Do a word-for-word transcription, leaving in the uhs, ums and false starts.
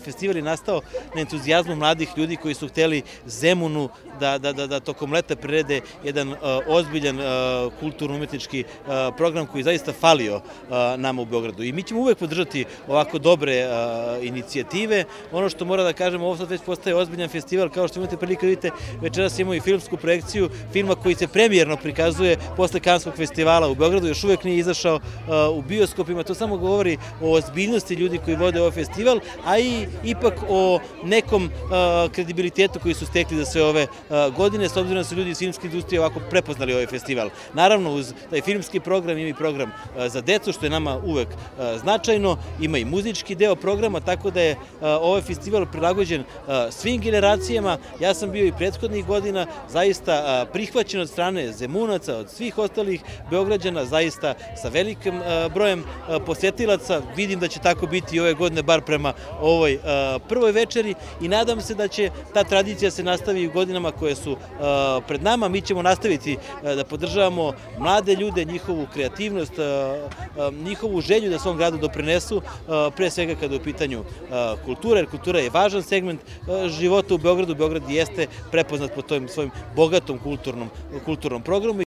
festival je nastao na entuzijazmu mladih ljudi koji su hteli Zemunu da, da, da, da tokom leta prirede jedan uh, ozbiljan uh, kulturno-umetnički uh, program koji zaista falio uh, nama u Beogradu. I mi ćemo uvek podržati ovako dobre uh, inicijative. Ono što mora da kažemo, ovo sad već postaje ozbiljan festival, kao što imate prilike vidite, večeras imamo i filmsku projekciju filma koji se premijerno prikazuje posle Kanskog festivala u Beogradu, još uvek nije izašao uh, u bioskopima. To samo govori o ozbiljnosti ljudi koji vode ovaj festival, a i ipak o nekom uh, kredibilitetu koji su stekli za sve ove uh, godine, s obzirom da su ljudi iz filmske industrije ovako prepoznali ovaj festival. Naravno, uz taj filmski program ima i program uh, za decu, što je nama uvek uh, značajno, ima i muzički deo programa, tako da je uh, ovaj festival prilagođen uh, svim generacijama. Ja sam bio i prethodnih godina zaista uh, prihvaćen od strane Zemunaca, od svih ostalih Beograđana, zaista sa velikim uh, brojem uh, posetilaca. Vidim da će tako biti i ove godine, bar prema ovoj uh, prvoj večeri, i nadam se da će ta tradicija se nastavi u godinama koje su uh, pred nama. Mi ćemo nastaviti uh, da podržavamo mlade ljude, njihovu kreativnost, uh, uh, njihovu želju da svom gradu doprinesu, uh, pre svega kada je u pitanju uh, kultura, jer kultura je važan segment uh, života u Beogradu. Beograd jeste prepoznat po tom svojim bogatom kulturnom, kulturnom programu.